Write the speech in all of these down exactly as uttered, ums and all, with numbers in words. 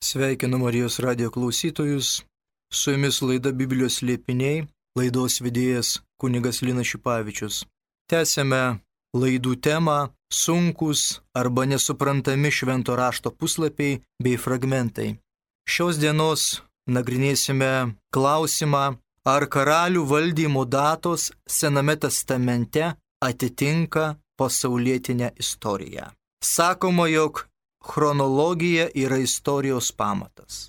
Sveikinu Marijos radijo klausytojus, su jumis laida Biblijos slėpiniai, laidos vedėjas kunigas Linas Šipavičius. Tęsėme laidų temą sunkus arba nesuprantami švento rašto puslapiai bei fragmentai. Šios dienos nagrinėsime klausimą, ar karalių valdymo datos Sename testamente atitinka pasaulietinę istoriją. Sakoma, jog chronologija yra istorijos pamatas.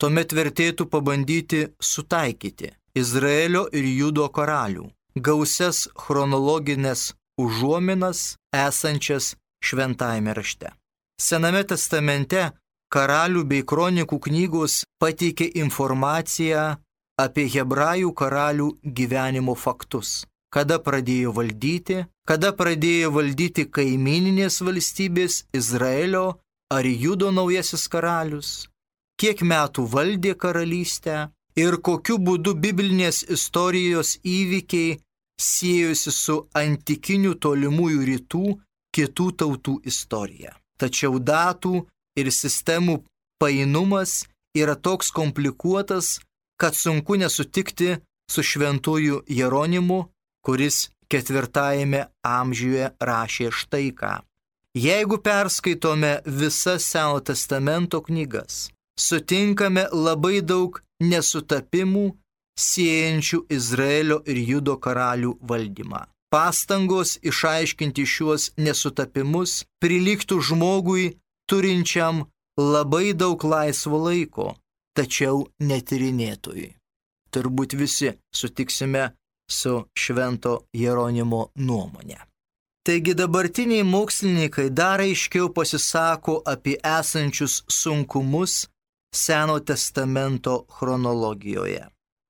Tuomet vertėtų pabandyti sutaikyti Izraelio ir Judo karalių gausias chronologinės užuominas esančias šventajame rašte. Sename testamente karalių bei kronikų knygos pateikė informaciją apie hebrajų karalių gyvenimo faktus. Kada pradėjo valdyti, kada pradėjo valdyti kaimininės valstybės Izraelio ar Judo naujasis karalius, kiek metų valdė karalystę ir kokiu būdu biblinės istorijos įvykiai siejosi su antikinių tolimųjų rytų kitų tautų istorija. Tačiau datų ir sistemų painumas yra toks komplikuotas, kad sunku nesutikti su šventuoju Jeronimu, kuris ketvirtajame amžiuje rašė štai ką. Jeigu perskaitome visas Seno testamento knygas, sutinkame labai daug nesutapimų siejančių Izraelio ir Judo karalių valdymą. Pastangos išaiškinti šiuos nesutapimus prilygtų žmogui turinčiam labai daug laisvo laiko, tačiau netyrinėtojui. Turbūt visi sutiksime su švento Jeronimo nuomonė. Taigi dabartiniai mokslininkai dar aiškiau pasisako apie esančius sunkumus Seno testamento chronologijoje.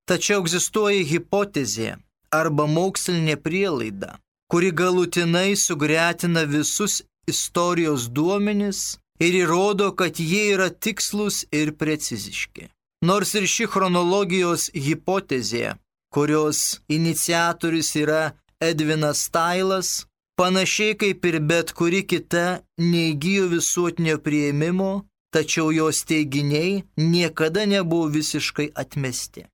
Tačiau egzistuoja hipotezė arba mokslinė prielaida, kuri galutinai sugretina visus istorijos duomenis ir įrodo, kad jie yra tikslus ir preciziški. Nors ir ši chronologijos hipotezė, kurios iniciatorius yra Edvinas Tailas, panašiai kaip ir bet kuri kita neįgijo visuotinio priėmimo, tačiau jos teiginiai niekada nebuvo visiškai atmesti.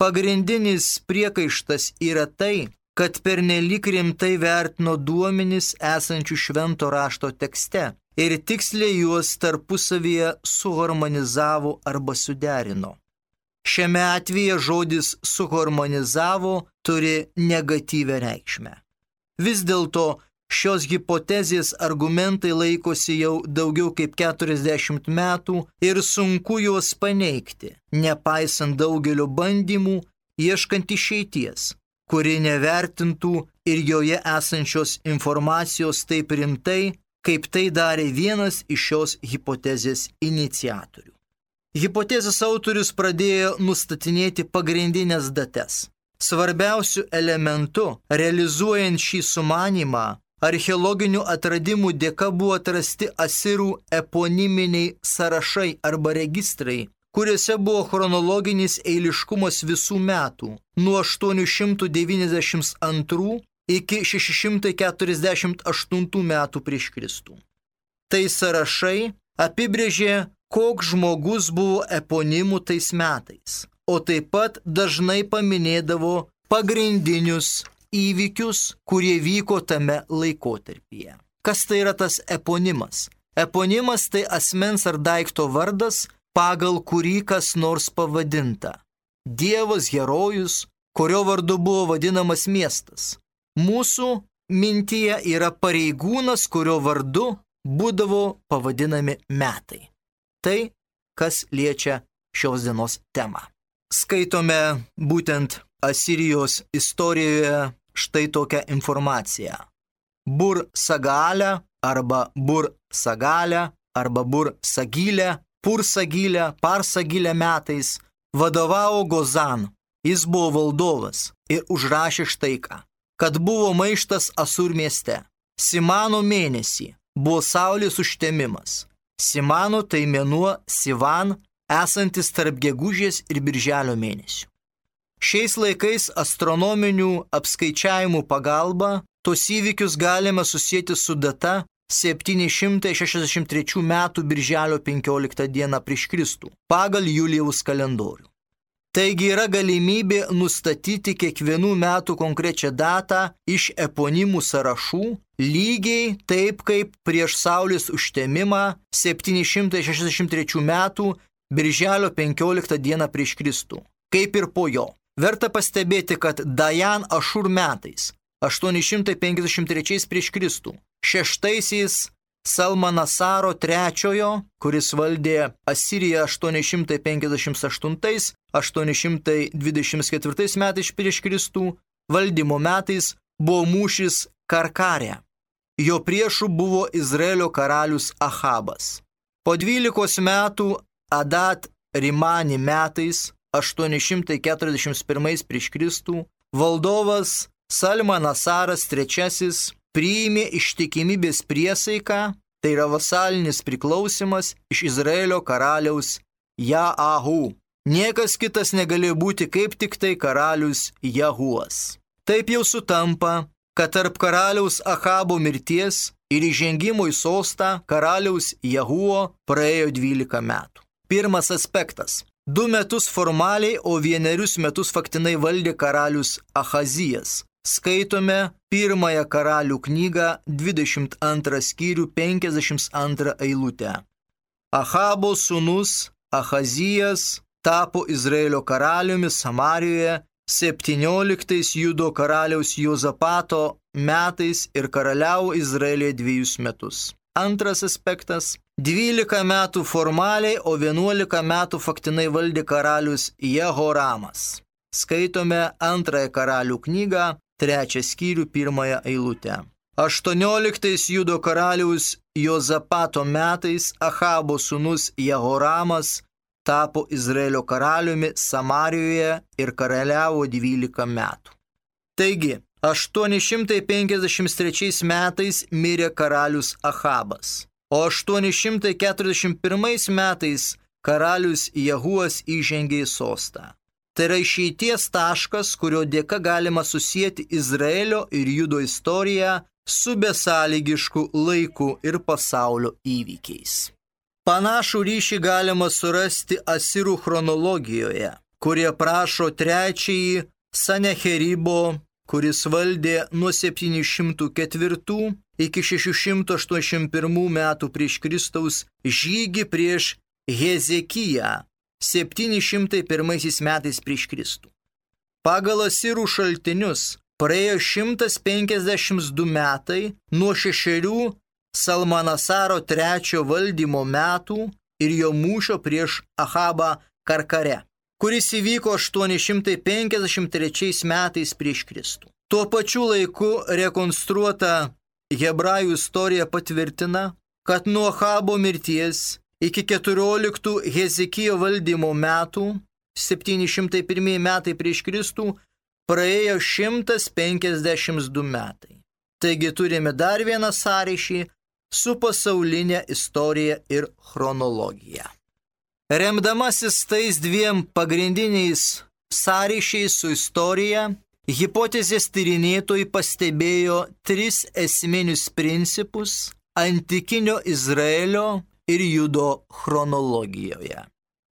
Pagrindinis priekaištas yra tai, kad pernelyg rimtai vertino duomenis esančių švento rašto tekste ir tiksliai juos tarpusavyje suharmonizavo arba suderino. Šiame atveju žodis suharmonizavo turi negatyvią reikšmę. Vis dėlto šios hipotezės argumentai laikosi jau daugiau kaip keturiasdešimt metų ir sunku juos paneigti, nepaisant daugelio bandymų ieškant išeities, kuri nevertintų ir joje esančios informacijos taip rimtai, kaip tai darė vienas iš šios hipotezės iniciatorių. Hipotezės autorius pradėjo nustatinėti pagrindinės datas. Svarbiausiu elementu, realizuojant šį sumanymą, archeologinių atradimų dėka buvo atrasti asirų eponiminiai sąrašai arba registrai, kuriuose buvo chronologinis eiliškumas visų metų, nuo aštuoni šimtai devyniasdešimt antrų iki šeši šimtai keturiasdešimt aštuntų metų prieš Kristų. Tai sąrašai apibrėžė, koks žmogus buvo eponimų tais metais, o taip pat dažnai paminėdavo pagrindinius įvykius, kurie vyko tame laikotarpyje. Kas tai yra tas eponimas? Eponimas tai asmens ar daikto vardas, pagal kurį kas nors pavadinta. Dievas, herojus, kurio vardu buvo vadinamas miestas. Mūsų mintyje yra pareigūnas, kurio vardu būdavo pavadinami metai. Tai, kas liečia šios dienos temą. Skaitome būtent Asirijos istorijoje štai tokią informaciją. Bur Sagalė arba Bur Sagalė arba Bur Sagilė, Pur Sagilė, Par Sagilė metais vadovavo Gozan. Jis buvo valdovas ir užrašė štai ką, kad buvo maištas Asur mieste. Simano mėnesį buvo saulės užtemimas. Simano tai mėnuo Sivan, esantis tarp gegužės ir birželio mėnesių. Šiais laikais astronominių apskaičiavimų pagalba tos įvykius galime susijęti su data septyni šimtai šešiasdešimt trečių metų birželio penkioliktą dieną prieš Kristų pagal Julijaus kalendorių. Taigi yra galimybė nustatyti kiekvienų metų konkrečią datą iš eponimų sąrašų, lygiai taip kaip prieš Saulės užtemimą septyni šimtai šešiasdešimt trečių metų birželio penkioliktą dieną prieš Kristų, kaip ir po jo. Verta pastebėti, kad Dajan Ašur metais aštuoni šimtai penkiasdešimt trečiais prieš Kristų, šeštaisiais Salmanasaro trečiojo, kuris valdė Asiriją aštuoni šimtai penkiasdešimt aštuntais aštuoni šimtai dvidešimt ketvirtais metais prieš Kristų, valdymo metais buvo mūšis Karkarė. Jo priešų buvo Izraelio karalius Ahabas. Po dvylikos metų Adat Rimani metais aštuoni šimtai keturiasdešimt pirmais prieš Kristų valdovas Salmanasaras trečiasis priėmė ištikimybės priesaiką, tai yra vasalinis priklausimas iš Izraelio karaliaus Jaahu. Niekas kitas negalėjo būti kaip tik tai karalius Jahuas. Taip jau sutampa, kad tarp karaliaus Ahabo mirties ir įžengimo į sostą karaliaus Jahuo praėjo dvylika metų. Pirmas aspektas. Du metus formaliai, o vienerius metus faktinai valdė karalius Ahazijas. Skaitome pirmąją karalių knygą, dvidešimt antrą skyrių, penkiasdešimt antrą eilutę. Ahabo sūnus Ahazijas tapo Izraelio karaliumi Samarijoje septynioliktais Judo karaliaus Jozapato metais ir karaliavo Izraelyje dviejus metus. Antras aspektas. dvylika metų formaliai, o vienuolika metų faktinai valdė karalius Jehoramas. Skaitome antrąją karalių knygą, trečią skyrių, pirmąją eilutę. aštuonioliktais Judo karaliaus Jozapato metais Ahabo sūnus Jehoramas tapo Izraelio karaliumi Samarijoje ir karaliavo dvylika metų. Taigi, aštuoni šimtai penkiasdešimt trečiais metais mirė karalius Ahabas, o aštuoni šimtai keturiasdešimt pirmais metais karalius Jahuas įžengė į sostą. Tai yra išeities taškas, kurio dėka galima susijęti Izraelio ir Judo istoriją su besąlygišku laiku ir pasaulio įvykiais. Panašų ryšį galima surasti Asirų chronologijoje, kurie prašo trečiąjį Sanecheribo, kuris valdė nuo septyni šimtai ketvirtų iki šeši šimtai aštuoniasdešimt pirmų metų prieš Kristaus žygį prieš Hezekiją septyni šimtai pirmaisiais metais prieš Kristų. Pagal Asirų šaltinius praėjo šimtas penkiasdešimt du metai nuo šešerių Salmanasaro trečio valdymo metų ir jo mūšio prieš Ahabą Karkare, kuris įvyko aštuoni šimtai penkiasdešimt trečiais metais prieš Kristų. Tuo pačiu laiku rekonstruota hebrajų istorija patvirtina, kad nuo Ahabo mirties iki keturioliktų Hezekijo valdymo metų, septyni šimtai pirmieji metai prieš Kristų, praėjo šimtas penkiasdešimt du metai. Taigi turime dar vieną sąryšį su pasaulinė istorija ir chronologija. Remdamasis tais dviem pagrindiniais sąryšiais su istorija, hipotezės tyrinėtojai pastebėjo tris esminius principus antikinio Izraelio ir Judo chronologijoje.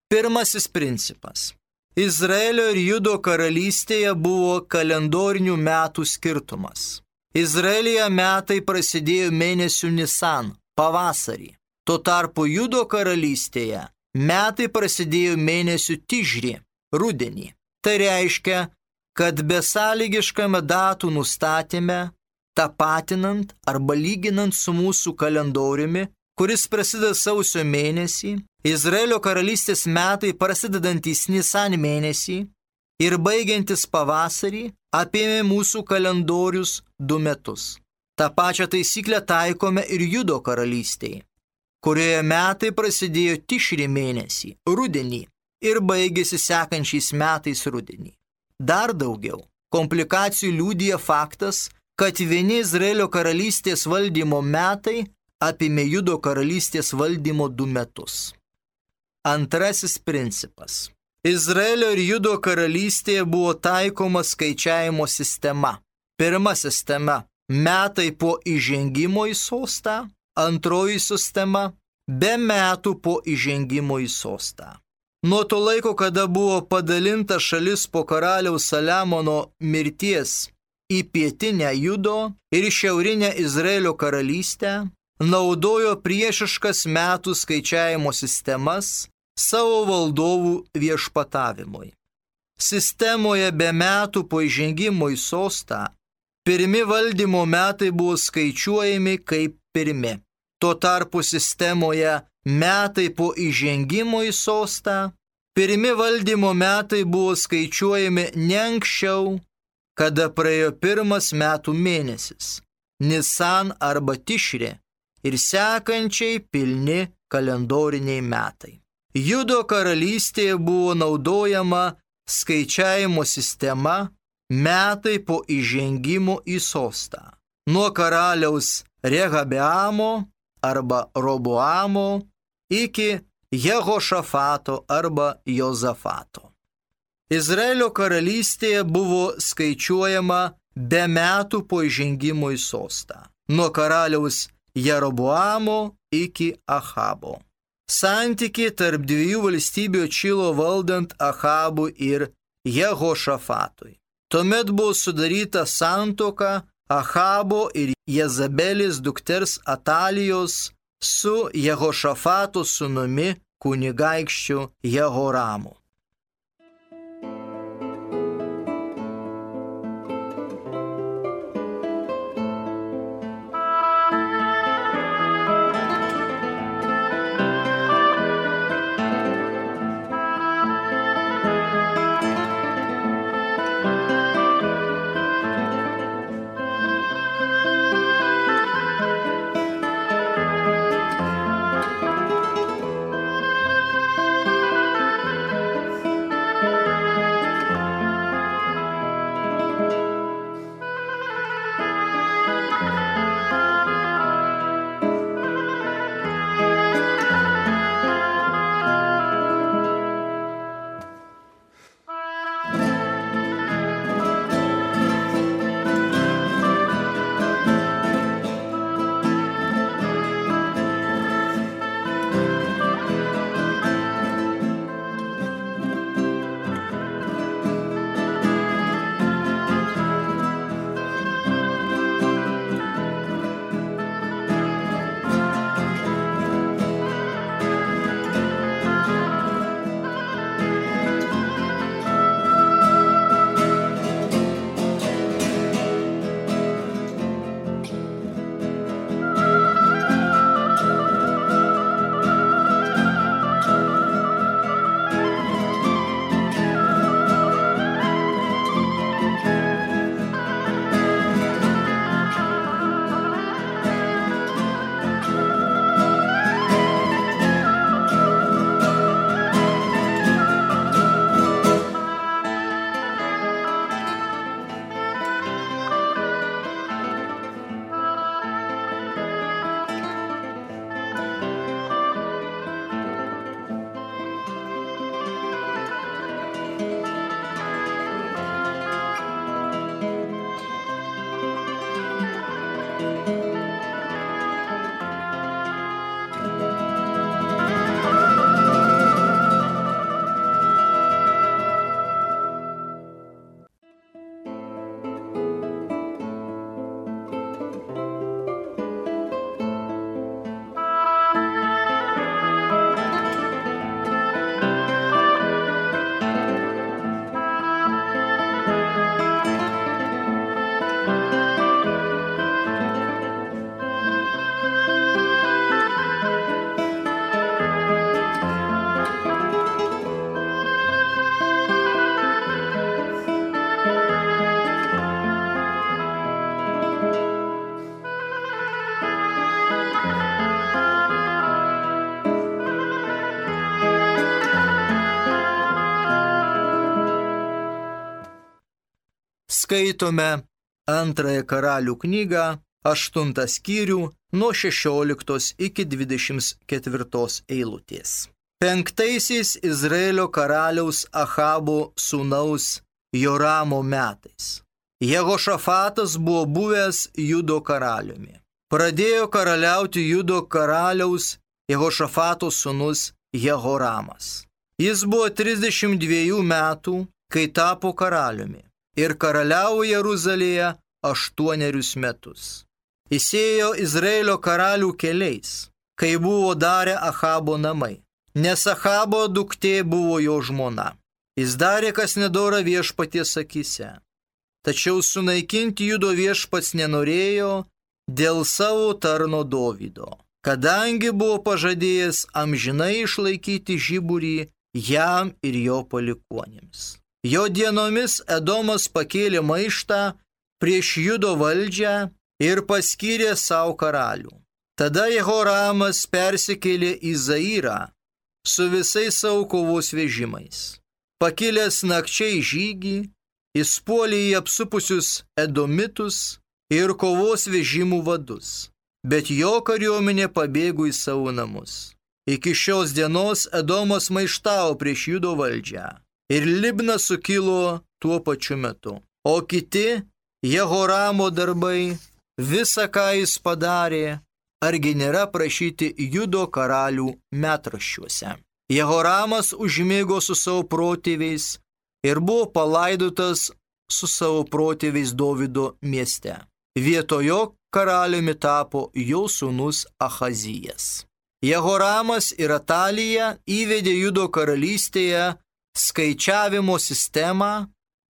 Pirmasis principas. Izraelio ir Judo karalystėje buvo kalendorinių metų skirtumas. Izraelyje metai prasidėjo mėnesių Nisan, pavasarį. Tuo tarpu Judo karalystėje metai prasidėjo mėnesių Tižri, rudenį. Tai reiškia, kad besąlygiškame datų nustatyme, tapatinant arba lyginant su mūsų kalendoriumi, kuris prasideda sausio mėnesį, Izraelio karalystės metai prasidedantys Nisan mėnesį ir baigiantis pavasarį apėmė mūsų kalendorius du metus. Ta pačią taisyklę taikome ir Judo karalystėje, kurioje metai prasidėjo Tišri mėnesį, rudenį, ir baigėsi sekančiais metais rudenį. Dar daugiau, komplikacijų liudija faktas, kad vieni Izraelio karalystės valdymo metai apėmė Judo karalystės valdymo du metus. Antrasis principas. Izraelio ir Judo karalystėje buvo taikoma skaičiavimo sistema. Pirma sistema – metai po įžengimo į sostą, antroji sistema be metų po įžengimo į sostą. Nuo to laiko, kada buvo padalinta šalis po karaliaus Saliamono mirties į pietinę Judo ir šiaurinę Izraelio karalystę, naudojo priešiškas metų skaičiavimo sistemas savo valdovų viešpatavimui. Sistemoje be metų po įžengimo į sostą pirmi valdymo metai buvo skaičiuojami kaip pirmi. Tuo tarpu sistemoje metai po įžengimo į sostą, pirmi valdymo metai buvo skaičiuojami ne anksčiau, kada praėjo pirmas metų mėnesis, Nisan arba Tišri, ir sekančiai pilni kalendoriniai metai. Judo karalystėje buvo naudojama skaičiavimo sistema metai po įžengimo į sostą. Nuo karaliaus Rehabeamo arba Roboamo iki Jehošafato arba Jozafato. Izraelio karalystėje buvo skaičiuojama be metų po įžengimo į sostą. Nuo karaliaus Jeroboamo iki Achabo. Santykiai tarp dviejų valstybių atšilo valdant Achabui ir Jehošafatui. Tuomet buvo sudaryta santuoka Achabo ir Jezabelės dukters Atalijos su Jehošafato sūnumi kunigaikščiu Jehoramu. Skaitome antrąją karalių knygą, aštuntą skyrių, nuo šešioliktos iki dvidešimt ketvirtos eilutės. Penktaisiais Izraelio karaliaus Achabo sūnaus Joramo metais. Jehošafatas buvo buvęs Judo karaliumi. pradėjo karaliauti Judo karaliaus Jehošafato sūnus Jehoramas. Jis buvo trisdešimt dviejų metų, kai tapo karaliumi ir karaliavo Jeruzalėje aštuonerius metus. Jis ėjo Izraelio karalių keliais, kai buvo darę Achabo namai, nes Achabo duktė buvo jo žmona. Jis darė, kas nedora viešpaties akyse. Tačiau sunaikinti Judo viešpats nenorėjo dėl savo tarno Dovydo, kadangi buvo pažadėjęs amžinai išlaikyti žiburį jam ir jo palikuonims. Jo dienomis Edomas pakėlė maištą prieš Judo valdžią ir paskyrė savo karalių. Tada Jehoramas persikėlė į Zairą su visais savo kovos vežimais. Pakilęs nakčiai žygį, jis puolė į apsupusius Edomitus ir kovos vežimų vadus, bet jo kariuomenė pabėgo į savo namus. Iki šios dienos Edomas maištavo prieš Judo valdžią ir Libna sukilo tuo pačiu metu. O kiti Jehoramo darbai, visa ką jis padarė, argi nėra prašyti Judo karalių metraščiuose. Jehoramas užmigo su savo protėviais ir buvo palaidotas su savo protėviais Dovydo mieste. Vietojo karaliumi tapo jo sūnus Achazijas. Jehoramas ir Atalija įvedė Judo karalystėje skaičiavimo sistemą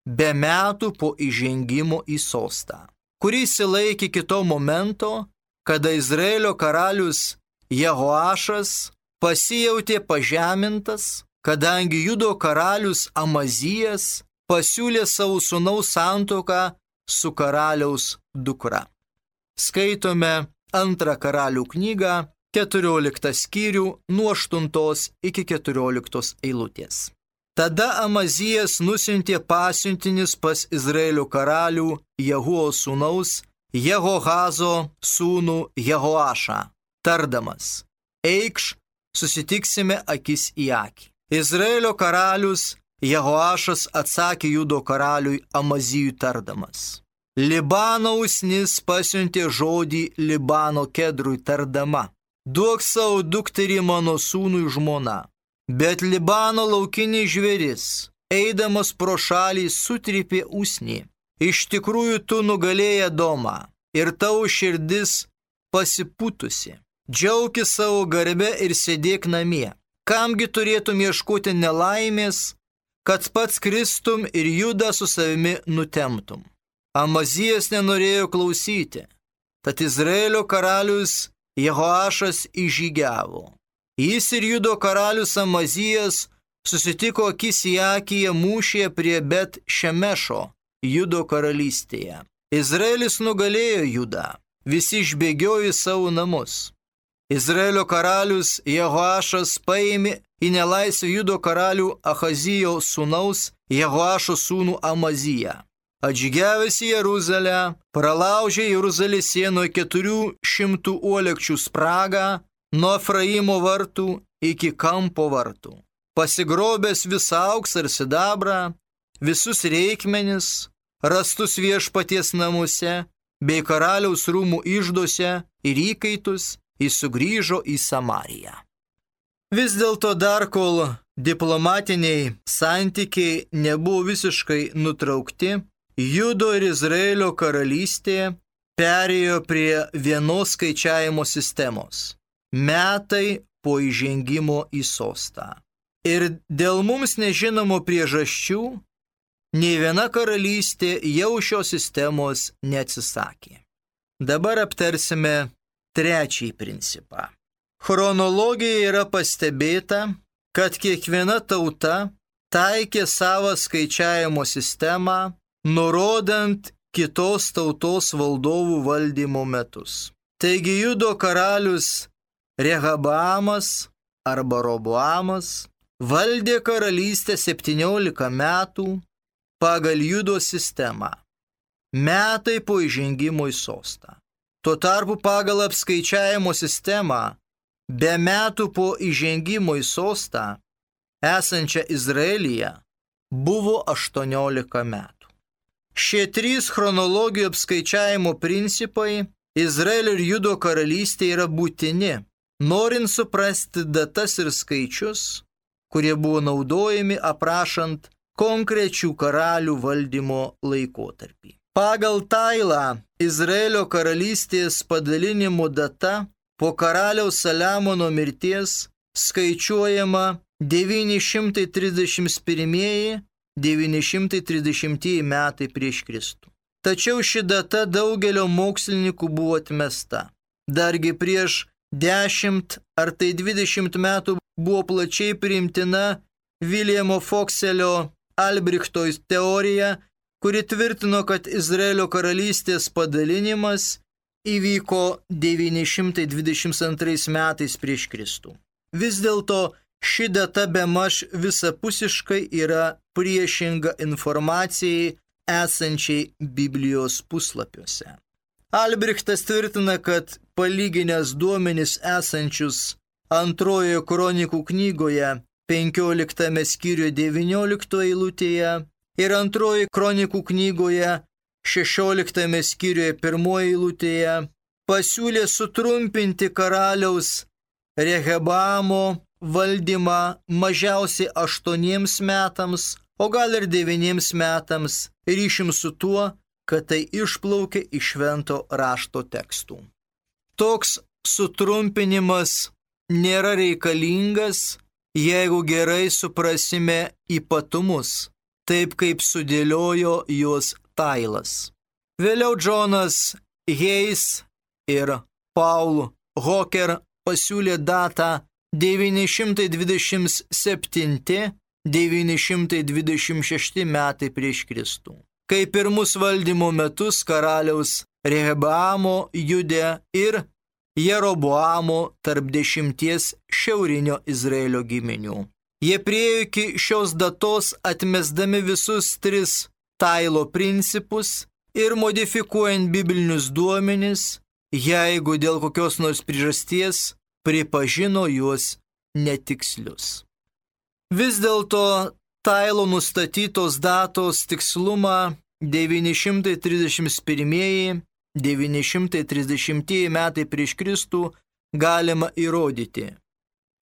be metų po įžengimo į sostą, kuris įsilaikė kito momento, kada Izraelio karalius Jehoašas pasijautė pažemintas, kadangi Judo karalius Amazijas pasiūlė savo sūnaus santuoką su karaliaus dukra. Skaitome antrą karalių knygą, keturioliktą skyrių nuo aštuntos iki keturioliktos eilutės. Tada Amazijas nusiuntė pasiuntinis pas Izraelio karalių Jehuo sūnaus Jehohazo sūnų Jehoašą, tardamas: eikš, susitiksime akis į akį. Izraelio karalius Jehoašas atsakė Judo karaliui Amazijui tardamas: Libano usnis pasiuntė žodį Libano kedrui tardama: duok savo dukterį mano sūnui žmona. Bet Libano laukinis žvėris, eidamas pro šalį, sutrypė usnį. Iš tikrųjų tu nugalėjai Edomą ir tavo širdis pasiputusi. Džiaukis savo garbę ir sėdėk namie. Kamgi turėtum ieškoti nelaimės, kad pats kristum ir Judą su savimi nutemtum. Amazijas nenorėjo klausyti, tad Izraelio karalius Jehoašas įžygiavo. Jis ir Judo karalius Amazijas susitiko akis į akį mūšyje prie Bet Šemešo, Judo karalystėje. Izraelis nugalėjo Judą, visi išbėgiojo į savo namus. Izraelio karalius Jehoašas paėmė į nelaisvę Judo karalių Achazijo sūnaus Jehoašo sūnų Amaziją. Atžygiavęs į Jeruzalę, pralaužė Jeruzalės sienoje keturių šimtų uolekčių spragą nuo Efraimo vartų iki kampo vartų. Pasigrobęs visą auksą ir sidabrą, visus reikmenis, rastus viešpaties namuose, bei karaliaus rūmų ižduose ir įkaitus, jis sugrįžo į Samariją. Vis dėlto dar kol diplomatiniai santykiai nebuvo visiškai nutraukti, Judo ir Izraelio karalystė perėjo prie vienos skaičiavimo sistemos – metai po įžengimo į sostą. Ir dėl mums nežinomų priežasčių, nei viena karalystė jau šios sistemos neatsisakė. Dabar aptarsime trečiąjį principą. Chronologijoje yra pastebėta, kad kiekviena tauta taikė savo skaičiavimo sistemą, nurodant kitos tautos valdovų valdymo metus. Taigi Judo karalius Rehabamas arba Roboamas valdė karalystę septyniolika metų pagal Judo sistemą, metai po įžengimo į sostą. Tuo tarpu pagal apskaičiavimo sistemą, be metų po įžengimo į sostą, esančią Izraelyje, buvo aštuoniolika metų. Šie trys chronologijų apskaičiavimo principai Izraelio ir Judo karalystė yra būtini, norint suprasti datas ir skaičius, kurie buvo naudojami aprašant konkrečių karalių valdymo laikotarpį. Pagal Tailą Izraelio karalystės padalinimo data po karaliaus Saliamono mirties skaičiuojama devyni šimtai trisdešimt pirmieji - devyni šimtai trisdešimtieji metai prieš Kristų. Tačiau ši data daugelio mokslininkų buvo atmesta. Dargi prieš dešimt ar tai dvidešimt metų buvo plačiai priimtina Viljamo Fokselio Albrichto teorija, kuri tvirtino, kad Izraelio karalystės padalinimas įvyko devyni šimtai dvidešimt antrais metais prieš Kristų. Vis dėlto ši data bemaž visapusiškai yra priešinga informacijai esančiai Biblijos puslapiuose. Albrichtas tvirtina, kad palyginęs duomenis esančius antrojoje kronikų knygoje penkioliktame skyriuje devynioliktoje eilutėje ir antrojoje kronikų knygoje šešioliktame skyriuje pirmoje eilutėje pasiūlė sutrumpinti karaliaus Rehaboamo valdymą mažiausiai aštuoniems metams, o gal ir devyniems metams, ryšim su tuo, kad tai išplaukė iš švento rašto tekstų. Toks sutrumpinimas nėra reikalingas, jeigu gerai suprasime ypatumus, taip kaip sudėliojo juos Tailas. Vėliau Džonas Heis ir Paul Hocker pasiūlė datą devyni šimtai dvidešimt septinti - devyni šimtai dvidešimt šešti metai prieš Kristų. Kai pirmus valdymo metus karaliaus Rehaboamo Jude ir Jeroboamo tarp dešimties šiaurinio Izraelio giminių. Jie priėjo iki šios datos atmesdami visus tris Tailo principus ir modifikuojant biblinius duomenis, jeigu dėl kokios nors priežasties pripažino juos netikslius. Vis dėlto Tailo nustatytos datos tikslumą devyni šimtai trisdešimt pirmieji - devyni šimtai trisdešimtieji metai prieš Kristų galima įrodyti.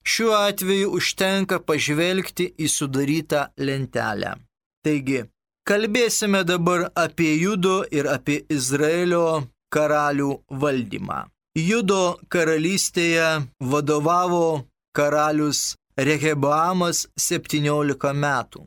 Šiuo atveju užtenka pažvelgti į sudarytą lentelę. Taigi, kalbėsime dabar apie Judo ir apie Izraelio karalių valdymą. Judo karalystėje vadovavo karalius Rehaboamas septyniolika metų.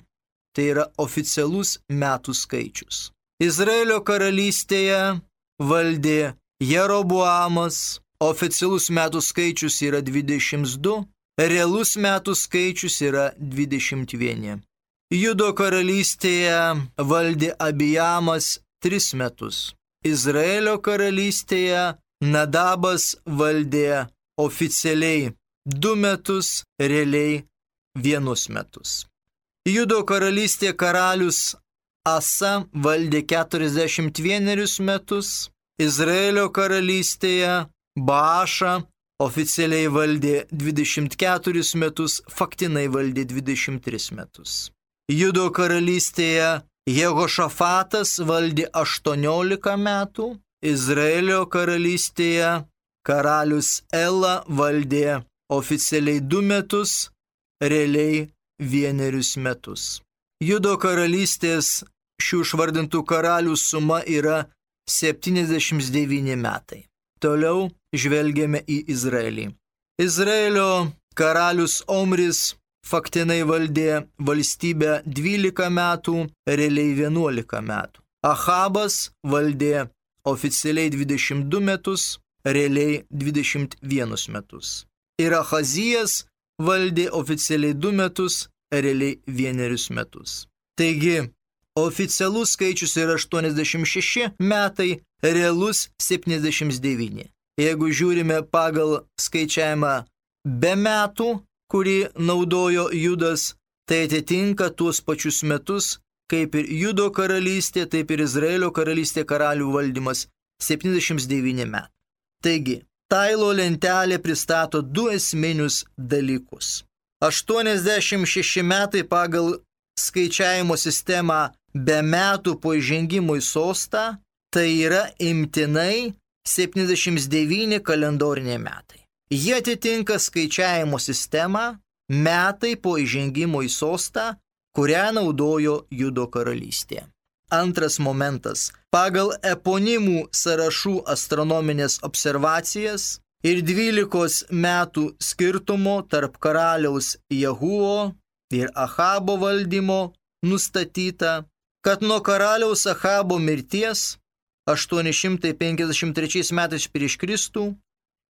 Tai yra oficialus metų skaičius. Izraelio karalystėje valdė Jeroboamas, oficialus metų skaičius yra dvidešimt du, realus metų skaičius yra dvidešimt vienas. Judo karalystėje valdė Abijamas tris metus. Izraelio karalystėje Nadabas valdė oficialiai du metus, realiai vienus metus. Judo karalystėje karalius Asa valdė keturiasdešimt vienerius metus, Izraelio karalystėje Baaša oficialiai valdė dvidešimt keturis metus, faktinai valdė dvidešimt tris metus. Judo karalystėje Jehošafatas valdė aštuoniolika metų, Izraelio karalystėje karalius Ela valdė oficialiai du metus, realiai vienerius metus. Judo karalystės šių išvardintų karalių suma yra septyniasdešimt devyni metai. Toliau žvelgiame į Izraelį. Izraelio karalius Omris faktinai valdė valstybę dvylika metų, realiai vienuolika metų. Achabas valdė oficialiai dvidešimt du metus, realiai dvidešimt vienus metus. Ir Achazijas valdė oficialiai du metus, realiai vienerius metus. Taigi, oficialus skaičius yra aštuoniasdešimt šeši metai, realus septyniasdešimt devyni. Jeigu žiūrime pagal skaičiavimą be metų, kurį naudojo Judas, tai atitinka tuos pačius metus, kaip ir Judo karalystė, taip ir Izraelio karalystė karalių valdymas – septyniasdešimt devyni metai. Taigi, Tailo lentelė pristato du esminius dalykus. aštuoniasdešimt šeši metai pagal skaičiavimo sistemą be metų po įžengimo į sostą, tai yra imtinai septyniasdešimt devyni kalendoriniai metai. Jie atitinka skaičiavimo sistemą metai po įžengimo į sostą, kurią naudojo Judo karalystė. Antras momentas. Pagal eponimų sąrašų astronominės observacijas ir dvylikos metų skirtumo tarp karaliaus Jehuo ir Ahabo valdymo nustatyta, kad nuo karaliaus Ahabo mirties aštuoni šimtai penkiasdešimt trečiais metais prieš Kristų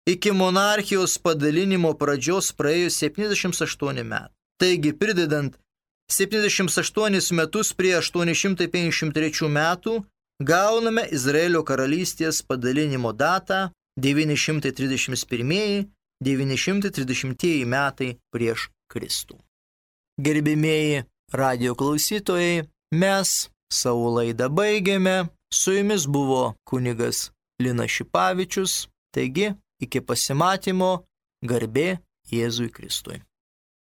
iki monarchijos padalinimo pradžios praėjo septyniasdešimt aštuoni metai. Taigi, pridedant septyniasdešimt aštuonis metus prie aštuoni šimtai penkiasdešimt trečių metų, gauname Izraelio karalystės padalinimo datą devyni šimtai trisdešimt pirmieji - devyni šimtai trisdešimtieji metai prieš Kristų. Gerbimieji radijo klausytojai, mes savo laidą baigėme. Su jumis buvo kunigas Linas Šipavičius. Taigi, iki pasimatymo, garbė Jėzui Kristui.